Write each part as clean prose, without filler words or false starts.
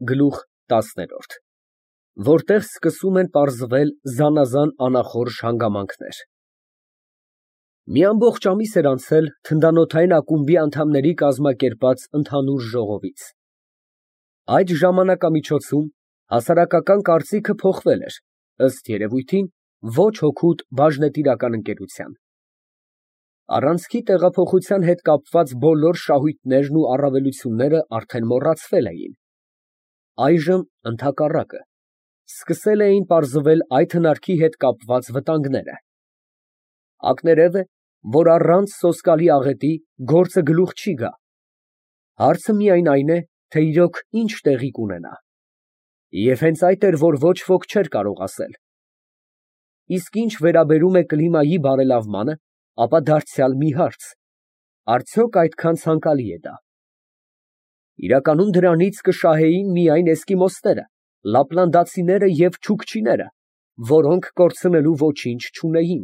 Գլուխ ՏԱՍՆ Որտեղ սկսում են պարզվել զանազան անախորժ հանգամանքներ։ Մի ամբողջ ամիս էր անցել թնդանոթային ակումբի անդամների կազմակերպած ընդհանուր ժողովից։ Այդ ժամանակամիջոցում հասարակական կարծիքը փոխվել էր, ըստ երևույթին, ոչ հօգուտ բաժնետիրական ընկերության։ Առանցքի տեղափոխության հետ կապված բոլոր շահույթներն ու առավելությունները արդեն մոռացվել էին։ Այժմ, ընդհակառակը, սկսել էին պարզվել այդ հնարքի հետ կապված վտանգները։ Ակներևը է, որ առանց սոսկալի աղետի գործը գլուխ չի գա։ Հարցը միայն այն է, թե իրոք ինչ տեղի կունենա։ Եվ հենց այդ էր, որ ոչ ոք չէր կարող ասել։ Իսկ ինչ վերաբերում է կլիմայի բարելավմանը, ապա դարձյալ մի հարց. արդյոք այդքան ցանկալի է դա։ Իրականում դրանից կշահեին միայն էսկիմոսները, լապլանդացիները և չուկչիները, որոնք կորցնելու ոչինչ չունեին։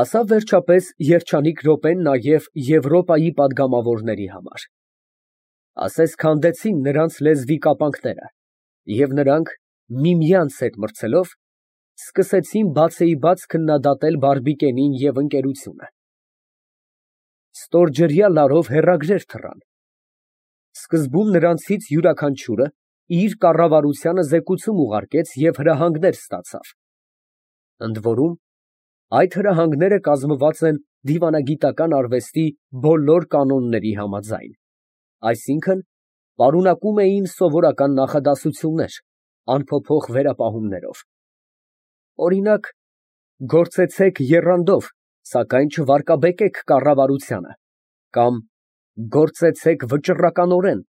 Ասավ վերջապես երջանիկ րոպեն նաև Եվրոպայի պատգամավորների համար։ Ասես քանդեցին նրանց լեզվի կապանքները, և նրանք, միմյանց հետ մրցելով, սկսեցին բացեիբաց քննադատել Բարբիկենին և ընկերությունը։ Ստորջրյա լարով հեռագրեր թռան։ Սկզբում նրանցից յուրաքանչյուրը իր կառավարությանը զեկուցում ուղարկեց և հրահանգներ ստացավ։ Ընդ որում, այդ հրահանգները կազմված են դիվանագիտական արվեստի բոլոր կանոնների համաձայն, այսինքն, պարունակում էին սովորական նախադասություններ, անփոփոխ վերապահումներով։ Օրինակ, գործեցեք եռանդով, սակայն չվարկաբեկեք կառավարությանը, կամ գործեցեք վճռականորեն,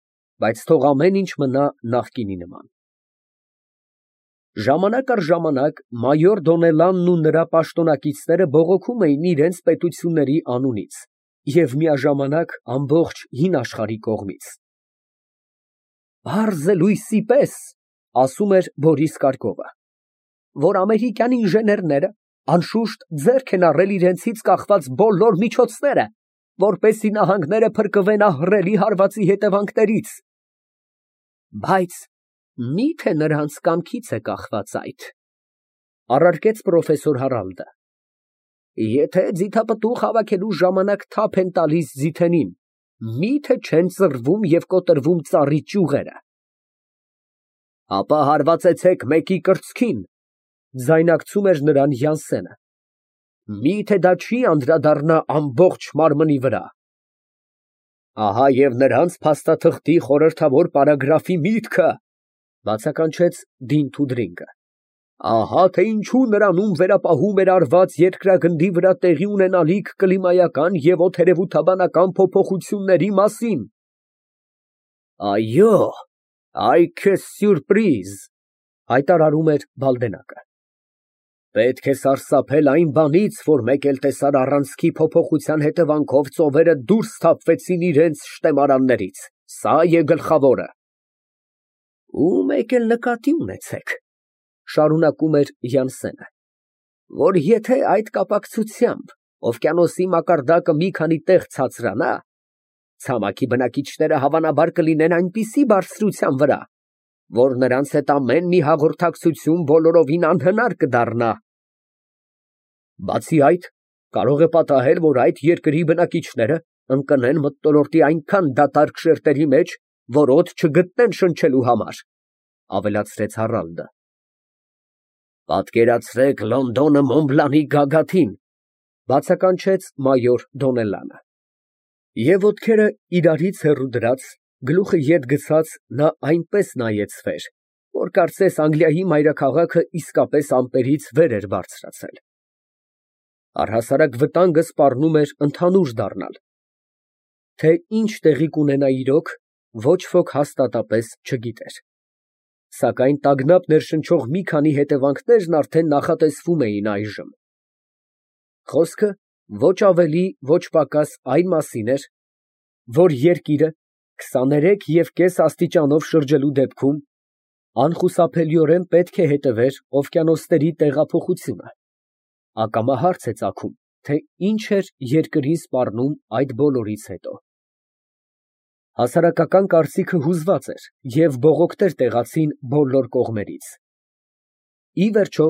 բայց թող ամեն ինչ մնա նախկինի նման։ Ժամանակ առ ժամանակ մայոր Դոնելանն ու նրա պաշտոնակիցները բողոքում էին իրենց պետությունների անունից և միաժամանակ ամբողջ հին աշխարհի կողմից։ «Պարզ է լույսի պես, — ասում էր Բորիս Կարկովը, — որ ամերիկյան ինժեներները անշուշտ ձեռք են առել իրենցից կախված բոլոր միջոցները, որպեսզի նահանգները փրկվեն ահռելի հարվածի հետևանքներից։ Բայց մի՞թե նրանց կամքից է կախված այդ, — առարկեց պրոֆեսոր Հարալդը, — եթե ձիթապտուղ հավաքելու ժամանակ թափ են տալիս ձիթենին, մի՞թե չեն ծռվում և կոտրվում ծառի ճյուղերը։ Ապա հարվածեցեք մեկի կրծքին, — ձայնարկում էր նրան Յանսենը, — մի՞թե դա չի անդրադառնա ամբողջ մարմնի վրա։ Ահա և նրանց փաստաթղթի խորհրդավոր պարագրաֆի միտքը, — բացականչեց Դին Թուդրինգը, — ահա թե ինչու նրանում վերապահում էր արված երկրագնդի վրա տեղի ունենալիք կլիմայական և օդերևութաբանական փոփոխությունների մասին։ Այո, այ քեզ սյուրպրիզ, — հայտարարում էր Բալդենակը։ Պետք է սարսափել այն բանից, որ մեկ էլ տեսար առանցքի փոփոխության հետևանքով ծովերը դուրս թափվեցին իրենց շտեմարաններից, սա է գլխավորը։ Ու մեկ էլ նկատի ունեցեք, — շարունակում էր Յանսենը, — որ եթե այդ կապակցությամբ օվկիանոսի մակարդակը մի քանի տեղ ցածրանա, ցամաքի բնակիչները հավանաբար կլինեն այնպիսի բարձրության վրա, որ նրանց հետ ամեն մի հաղորդակցություն բոլորովին անհնար կդառնա։ Բացի այդ, կարող է պատահել, որ այդ երկրի բնակիչները ընկնեն մթնոլորտի այնքան դատարկ շերտերի մեջ, որ օդ չգտնեն շնչելու համար, — ավելացրեց Հարալդը։ Պատկերացրեք Լոնդոնը Մոնբլանի գագաթին, — բացականչեց մայոր Դոնելանը։ Եվ ոտքերը իրարից հեռու դրած, գլուխը ետ գցած նա այնպես նայեց վեր, որ կարծես Անգլիայի մայրաքաղաքը իսկապես ամպերից վեր էր բարձրացել։ Առհասարակ վտանգը սպառնում էր ընդհանուր դառնալ։ Թե ինչ տեղի կունենա իրոք, ոչ ոք հաստատապես չգիտեր։ Սակայն տագնապ ներշնչող մի քանի հետևանքներն արդեն նախատեսվում էին այժմ։ Խոսքը ոչ ավելի, ոչ պակաս այն մասին էր, որ երկիրը 23,5 աստիճանով շրջելու դեպքում անխուսափելիորեն պետք է հետևեր օվկիանոսների տեղափոխությունը, ակամա հարց է ծագում, թե ինչ էր երկրին սպառնում այդ բոլորից հետո։ Հասարակական կարծիքը հուզված էր և բողոքներ տեղացին բոլոր կողմերից։ Ի վերջո,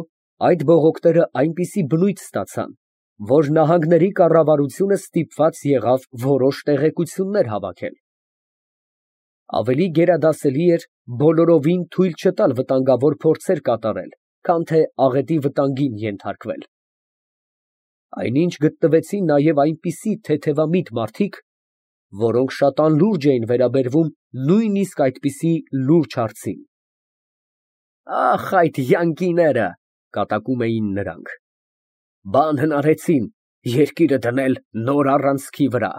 այդ բողոքները այնպիսի բնույթ ստացան, որ նահանգների կառավարությունը ստիպված եղավ որոշ տեղեկություններ հավաքել։ Ավելի գերադասելի էր բոլորովին թույլ չտալ վտանգավոր փորձեր կատարել, քան թե աղետի վտանգին ենթարկվել։ Այնինչ գտնվեցին նաև այնպիսի թեթևամիտ մարդիկ, որոնք շատ անլուրջ էին վերաբերվում նույնիսկ այդպիսի լուրջ հարցին։ «Ախ, այդ յանկիները», կատակում էին նրանք, «բան հնարեցին երկիրը դնել նոր առանցքի վրա։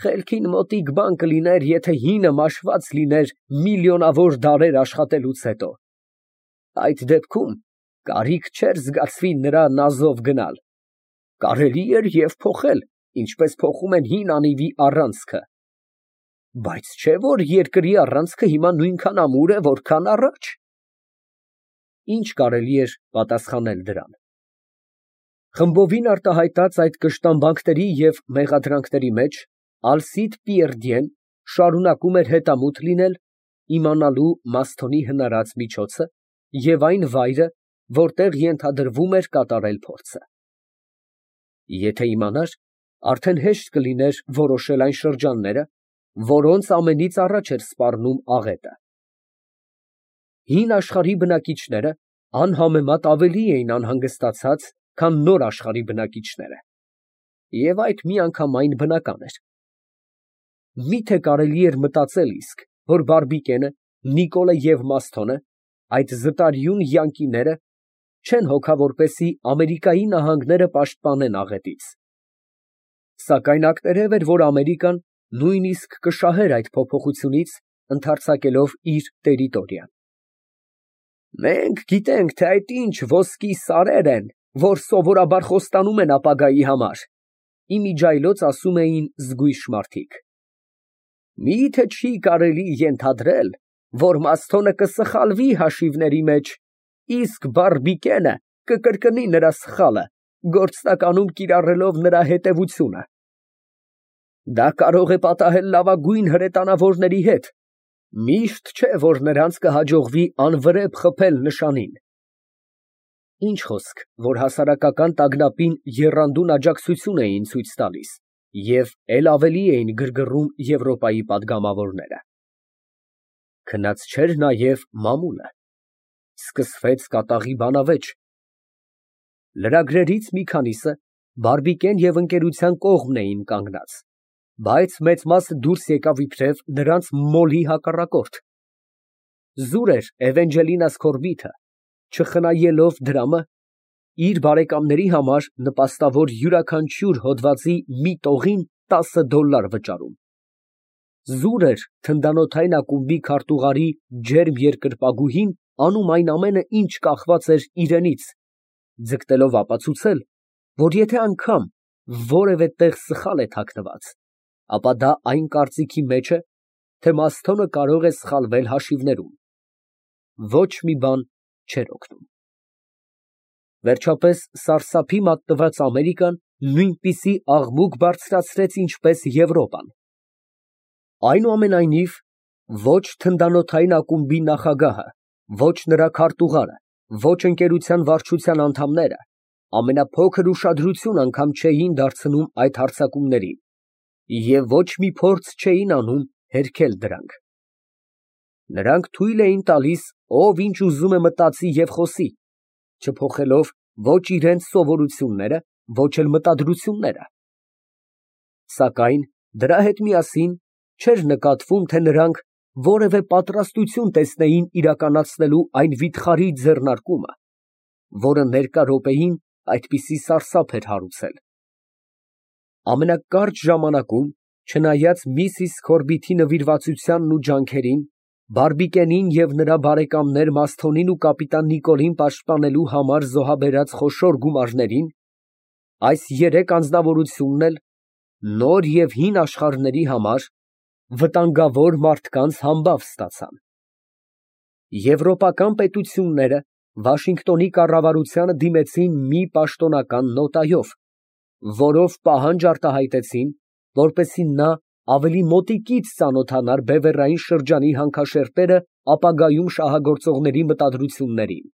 Խելքին մոտիկ բան կլիներ, եթե հինը մաշված լիներ միլիոնավոր դարեր աշխատելուց հետո։ Այդ դեպքում կարիք չէր զգացվի նրա նազով գնալ։ Կարելի էր և փոխել, ինչպես փոխում են հին անիվի առանցքը։ Բայց չէ՞ որ երկրի առանցքը հիմա նույնքան ամուր է, որքան առաջ»։ Ինչ կարելի էր պատասխանել դրան։ Խմբովին արտահայտած այդ կշտամբանքների և մեղադրանքների մեջ Ալսիդ Պիերդիեն շարունակում էր հետամուտ լինել, իմանալու Մասթոնի հնարած միջոցը և այն վայրը, որտեղ ենթադրվում էր կատարել փորձը։ Եթե իմանար, արդեն հեշտ կլիներ որոշել այն շրջանները, որոնց ամենից առաջ էր սպառնում աղետը։ Հին աշխարհի բնակիչները անհամեմատ ավելի էին անհանգստացած, քան նոր աշխարհի բնակիչները, և այդ միանգամայն բնական էր։ Մի՞թե կարելի էր մտածել իսկ, որ Բարբիկենը, Նիկոլը և Մասթոնը, այդ զտարյուն յանկիները, չեն հոգա որպեսզի Ամերիկայի նահանգները պաշտպանեն աղետից։ Սակայն ակներև էր, որ Ամերիկան նույնիսկ կշահեր այդ փոփոխությունից, ընդարձակելով իր տերիտորիան։ «Մենք գիտենք, թե այդ ինչ ոսկի սարեր են, որ սովորաբար խոստանում են ապագայի համար», ֊ իմիջիայլոց ասում էին զգույշ մարդիկ։ «Մի՞թե չի կարելի ենթադրել, որ Մասթոնը կսխալվի հաշիվների մեջ, իսկ Բարբիկենը կկրկնի նրա սխալը, գործնականում կիրառելով նրա հետևությունը։ Դա կարող է պատահել լավագույն հրետանավորների հետ, միշտ չէ, որ նրանց կհաջողվի անվրեպ խփել նշանին»։ Ինչ խոսք, որ հասարակական տագնապին եռանդուն աջակցություն էին ցույց տալիս և էլ ավելի էին գրգռում Եվրոպայի պատգամավորները։ Քնած չէր նաև մամուլը։ Սկսվեց կատաղի բանավեճ։ Լրագրերից մի քանիսը Բարբիկեն և ընկերության կողմն էին կանգնած, բայց մեծ մասը դուրս եկավ իբրև նրանց մոլի հակառակորդ։ Զուր էր Էվենջելինա Սքորբիթը, չխնայելով դրամը, իր բարեկամների համար նպաստավոր յուրաքանչյուր հոդվածի մի տողին $10 վճարում։ Զուր էր թնդանոթային ակումբի քարտուղարի ջերմ երկրպագուհին անում այն ամենը, ինչ կախված էր իրենից, ձգտելով ապացուցել, որ եթե անգամ որևէ տեղ սխալ է թաքնված, ապա դա այն կարծիքի մեջ է, թե Մասթոնը կարող է սխալվել հաշիվներում։ Ոչ մի բան չէր օգնում։ Վերջապես սարսափի մատնված Ամերիկան նույնպիսի աղմուկ բարձրացրեց, ինչպես Եվրոպան։ Այնուամենայնիվ, ոչ թնդանոթային ակումբի նախագահը, ոչ նրա քարտուղարը, ոչ ընկերության վարչության անդամները ամենափոքր ուշադրություն անգամ չէին դարձնում այդ հարձակումներին և ոչ մի փորձ չէին անում հերքել դրանք։ Նրանք թույլ էին տալիս, ով ինչ ուզում է մտածի և խոսի, չփոխելով ոչ իրենց սովորությունները, ոչ էլ մտադրությունները։ Սակայն դրա հետ միասին չէր նկատվում, թե նրանք որևէ պատրաստություն տեսնեին իրականացնելու այն վիթխարի ձեռնարկումը, որը ներկա րոպեին այդպիսի սարսափ էր հարուցել։ Ամենակարճ ժամանակում, չնայած Միսիս Սքորբիթի նվիրվածությանն ու ջանքերին, Բարբիկենին և նրա բարեկամներ Մասթոնին ու կապիտան Նիկոլին պաշտպանելու համար զոհաբերած խոշոր գումարներին, այս երեք անձնավորությունն էլ նոր և հին աշխարհների համար վտանգավոր մարդկանց համբավ ստացան։ Եվրոպական պետությունները Վաշինգտոնի կառավարությանը դիմեցին մի պաշտոնական նոտայով, որով պահանջ արտահայտեցին, որպեսզի նա ավելի մոտիկից ծանոթանար բևեռային շրջանի հանքաշերտերը ապագայում շահագործողների մտադրություններին։